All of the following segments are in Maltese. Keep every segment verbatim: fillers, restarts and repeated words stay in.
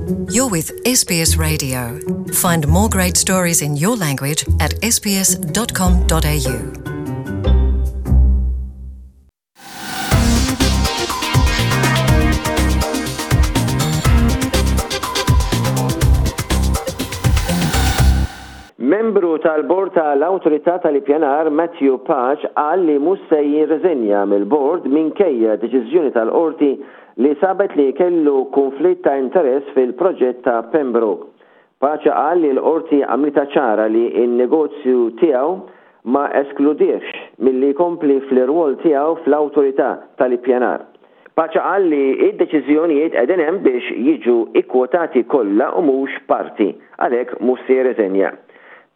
You're with S B S Radio. Find more great stories in your language at S B S dot com dot A U. Membru tal-bord tal-Awtorità tal-Ippjanar Matthew Pace qal li mhux se jirriżenja mill-bord minkejja deċiżjoni tal-qorti li sabet li kellu konflitt ta' interess fil-proġett ta' Pembroke. Pace qal li l-qorti għamlitha ċara li n-negozju tiegħu ma eskludiex milli jkompli fl-irwol tiegħu fl-Awtorità tal-Ippjanar. Pace qal li id-deċiżjonijiet qegħdin hemm biex jiġu ikkwotati kollha u mhux parti, għalhekk mhux se jirriżenja.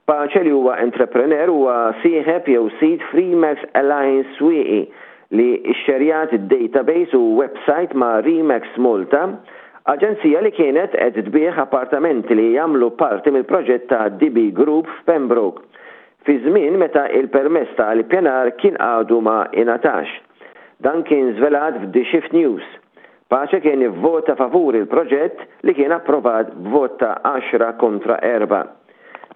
Pace, li huwa entrepreneur, huwa sieħeb jew sid f'Remax Alliance Swieqi li xxerjat database u website ma' Remax Malta, aġenzija li kienet qed tbigħ appartamenti li jagħmlu parti mill-proġett ta' D B Group f'Pembroke fi żmien meta il-permess tal-ippjanar kien għadu ma ingħatax. Dan kien żvelat f'The Shift News. Pace kien ivvota favur il-proġett li kien approvat b'vot ta' għaxra kontra erba'.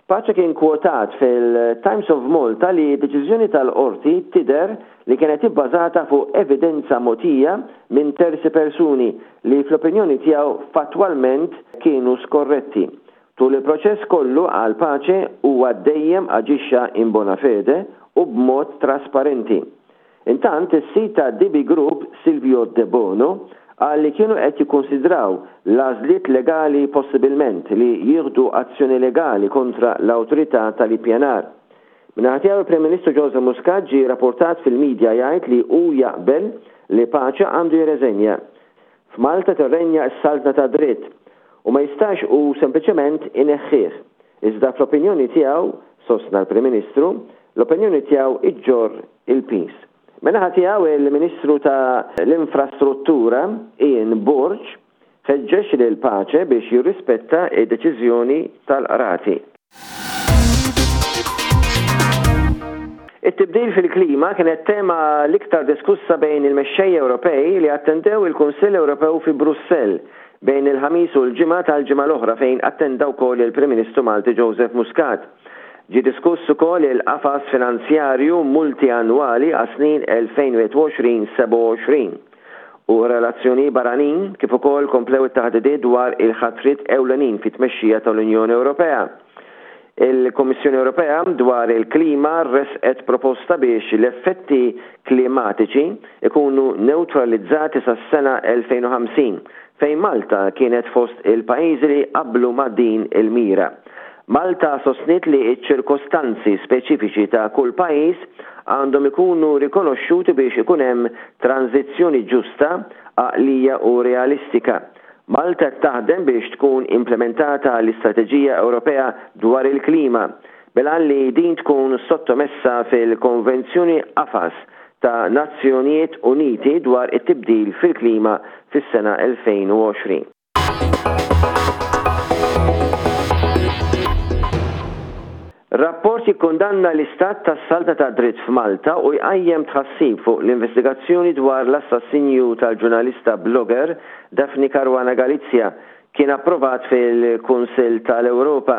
Pace kien kwotat fil-Times of Malta li deċiżjoni tal-qorti tidher li kienet ibbażata fuq evidenza mogħtija minn terzi persuni li fl-opinjoni tiegħu fattwalment kienu skorretti. Tul il-proċess kollu, għal Pace, huwa dejjem aġixxa in bona fede u b'mod trasparenti. Intant, is-sid ta' D B Group, Silvio De Bono, qal li kienu qed jikkonsidraw l-għażliet legali, possibilment li jieħdu azzjoni legali kontra l-Awtorità tal-Ippjanar. Min-naħa tiegħu, il-Prim Ministru Joseph Muscat ġie rapportat fil-medja jgħid li hu jaqbel li Pace għandu jirreżenja. F'Malta tirrenja s-saltna ta' dritt u ma jistax u sempliċement ineħħih. Iżda fl-opinjoni tiegħu, sostna l-Prim Ministru, l-opinjoni tiegħu iġġorr il-piż. Min-naħa tiegħu, il-Ministru ta' l-Infrastruttura Ian Borg ħeġġeġ lil Pace biex jirrispetta id-deċiżjoni tal-qrati. It-tibdil fil-klima kienet tema l-iktar diskussa bejn il-mexxejja Ewropej li attendew il-Kunsill Ewropew fi Brussell bejn il-Ħamis u l-Ġimgħa tal-ġimgħa l-oħra, fejn attenda wkoll il-Prim Ministru Malti Joseph Muscat. Ġie diskuss ukoll il-qafas finanzjarju multiannwali għas-snin elfejn u wieħed u għoxrin sebgħa u għoxrin u relazzjoni barranin, kif ukoll komplew it-taħdidiet dwar il-ħatriet ewlenin fit-tmexxija tal-Unjoni Ewropea. Il-Kommissjoni Ewropea dwar il-klima resqet proposta biex l-effetti klimatiċi ikunu neutralizzati sas-sena elfejn u ħamsin, fejn Malta kienet fost il-pajjiżi li qablu ma' din il-mira. Malta sostniet li ċ-ċirkostanzi speċifiċi ta' kull pajjiż għandhom ikunu rikonoxxuti biex ikun hemm tranzizzjoni ġusta, għaqlija u realistika. Malta taħdem biex tkun implementata l-Istrateġija Ewropea dwar il-klima, bil-għan li din tkun sottomessa fil-Konvenzjoni Qafas ta' Nazzjonijiet Uniti dwar it-tibdil fil-klima fis-sena elfejn u għoxrin. Rapport jikkundanna l-istat tas-saltna ta' dritt f'Malta u jqajjem tħassib fuq l-investigazzjoni dwar l-assassinju tal-ġurnalista blogger Daphne Caruana Galizia kien approvat fil-Kunsill tal-Ewropa.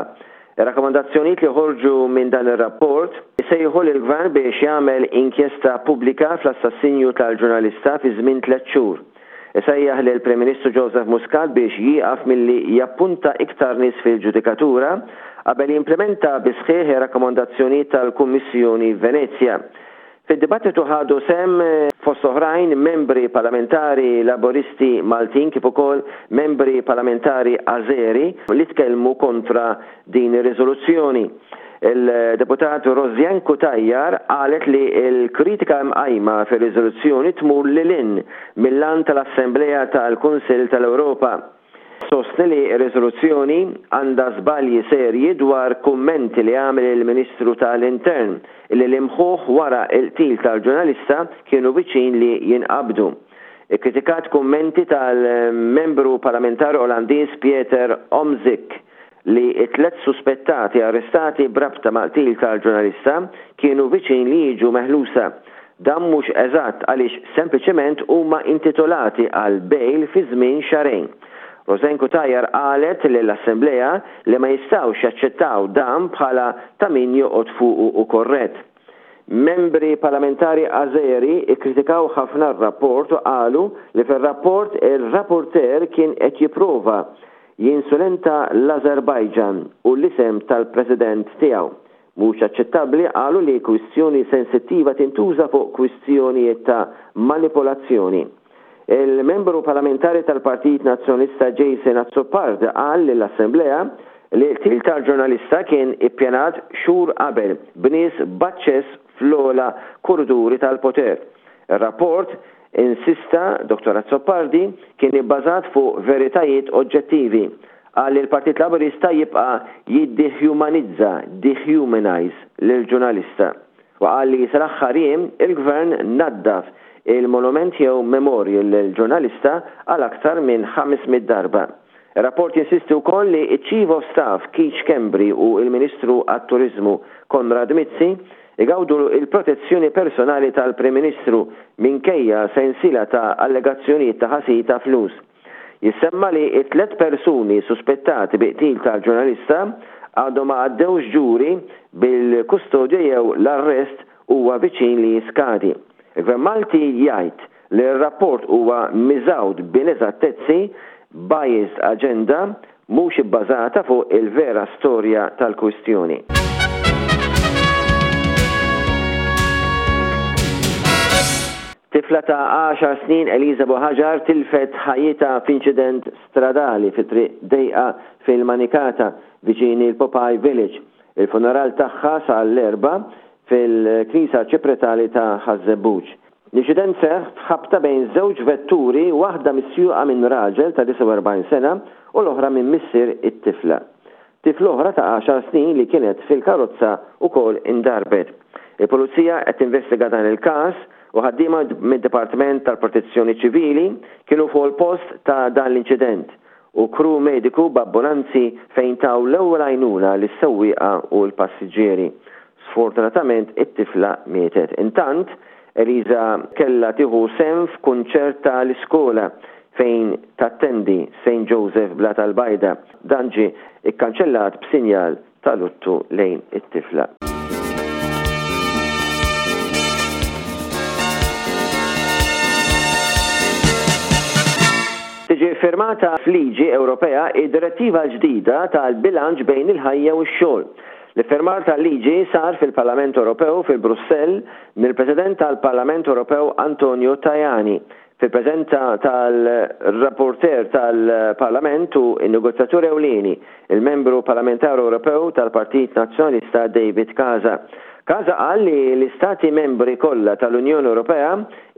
Ir-rakkomandazzjonijiet li ħorġu minn dan ir-rapport sejħu lill-gvern biex jagħmel inkjesta pubblika fl-assassinju tal-ġurnalista fi żmien tliet xhur. Isejjaħ lil Prim Ministru Joseph Muscat biex jieqaf milli jappunta iktar nies fil-ġudikatura qabel jimplementa bis-sħiħ rakkomandazzjonijiet tal-Kummissjoni Venezja. Fid-dibattitu ħadu sehem, fost oħrajn, membri parlamentari Laboristi Maltin kif ukoll membri parlamentari Azeri li tkellmu kontra din ir-riżoluzzjoni. Il-deputat Rosianne Cutajar qalet li l-kritika mqajma fir-riżoluzzjoni tmur lil hinn mill-għan tal-Assemblea tal-Kunsill tal-Ewropa. Sostni li r-riżoluzzjoni għandha żbalji serji dwar kummenti li għamel il-Ministru tal-Intern illi l-imħuħ wara il-qtil tal-ġurnalista kienu viċin li jinqabdu. Ikkritikat kummenti tal-membru parlamentari Olandiż Pieter Omtzigt li it-tlet suspettati arrestati b'rabta mal-qtil tal-ġurnalista kienu viċin li jiġu meħlusa. Dan mhux eżatt għaliex sempliċement huma intitolati għal bail fi żmien xahrejn. Rosianne Cutajar qalet lill-Assemblea li ma jistgħux jaċċettaw dan bħala ta' min joqgħod fuqu u korrett. Membri parlamentari Azeri ikkritikaw ħafna r-rapport u qalu li fir-rapport il-rapporter kien qed jipprova jinsulenta l-Azerbajġan u l-isem tal-president tiegħu. Mhux aċċettabbli, qalu, li kwistjoni sensittiva tintuża fuq kwistjonijiet ta' manipolazzjoni. Il-membru parlamentari tal-Partit Nazzjonalista Jason Azzopardi qal lill-Assemblea li l-qtil tal-ġurnalista kien ippjanat xhur qabel b'nies b'aċċess fl-ogħla korriduri tal-poter. Il-rapport, insista Dottor Azzopardi, kien ibbażat fuq veritajiet oġġettivi. Qal li l-Partit Laburista jibqa' jiddehumanizza, dehumanize, lill-ġurnalista. U qal li sal-aħħar jiem il-gvern naddaf il-monument jew memorial lill-ġurnalista għal aktar minn ħames mitt darba. Il-rapport jinsisti wkoll li iċ-Chief of Staff Keith Schembri u il-Ministru għat-Turizmu Konrad Mizzi igawdu il-protezzjoni personali tal-Prim Ministru minkejja sensila ta' allegazzjonijiet ta' ħasil ta' flus. Jissemma li it-tlet persuni suspettati bi qtil tal-ġurnalista għadhom ma għaddewx ġuri, bil-kustodja jew l-arrest huwa viċin li jiskadi. Il-Gvern Malti jgħid li r-rapport huwa miżgħud b'ineżattezzi, biased agenda, mhux ibbażata fuq il-vera storja tal-kwistjoni. Tifla ta' għaxar snin, Eliza Buhagiar, tilfet ħajjitha f'inċident stradali fi triq dejqa fil-Manikata viċin il-Popeye Village. Il-funeral tagħha sar l-Erbgħa fil-Knisja Arċipretali ta' Ħaż-Żebbuġ. L-inċident seħ f'ħabta bejn żewġ vetturi, waħda misjuqa minn raġel ta' disgħa u erbgħin sena u l-oħra minn missier it-tifla. Tifla oħra ta' għaxar snin li kienet fil-karozza ukoll indarbet. Il-Pulizija qed tinvestiga dan il-każ u ħaddiema mid-Dipartiment tal-Protezzjoni Ċivili kienu fuq il-post ta' dan l-inċident u kru mediku b'ambulanzi fejn taw l-ewwel għajnuna lis-sewwieqa u l-passiġġieri. Sfortunatament it-tifla mietet. Intant, Eliza kella tieħu sehem f'kunċert tal-iskola fejn tattendi, Saint Joseph Blata l-Bajda. Dan ġie ikkanċellat b'sinjal ta' luttu lejn it-tifla. Tiġi firmata f'liġi Ewropea id-direttiva ġdida tal-bilanċ bejn il-ħajja u x-xogħol. L-iffirmar tal-liġi sar fil-Parlament Ewropew fil-Brussell mill-President tal-Parlament Ewropew Antonio Tajani fil-preżenza tal-rapporter tal-Parlament u il-negozjatur ewlieni, il-membru parlamentari Ewropew tal-Partit Nazzjonalista David Casa. Casa qal li l-istati membri kollha tal-Unjoni Ewropea,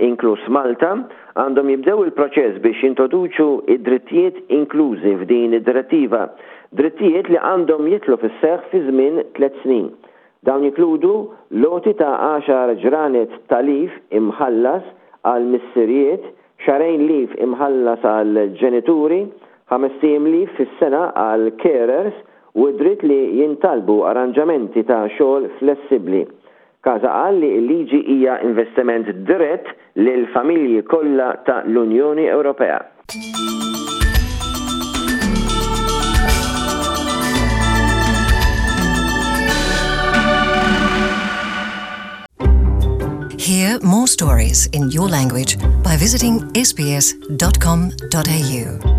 inkluż Malta, għandhom jibdew il-proċess biex jintroduċu id-drittijiet inklużi f'din id-direttiva, drittijiet li għandhom jidħlu fis-seħħ fi żmien tliet snin. Dawn jinkludu l-għoti ta' għaxar ġranet ta' leave imħallas għal missirijiet, xahrejn leave imħallas għal ġenituri, ħamest ijiem leave fis-sena għal carers u dritt li jintalbu arranġamenti ta' xogħol flessibbli. Casa qal li l-liġi hija investiment dirett lil familji kollha ta' l-Unjoni Ewropea. Hear more stories in your language by visiting S B S dot com dot A U.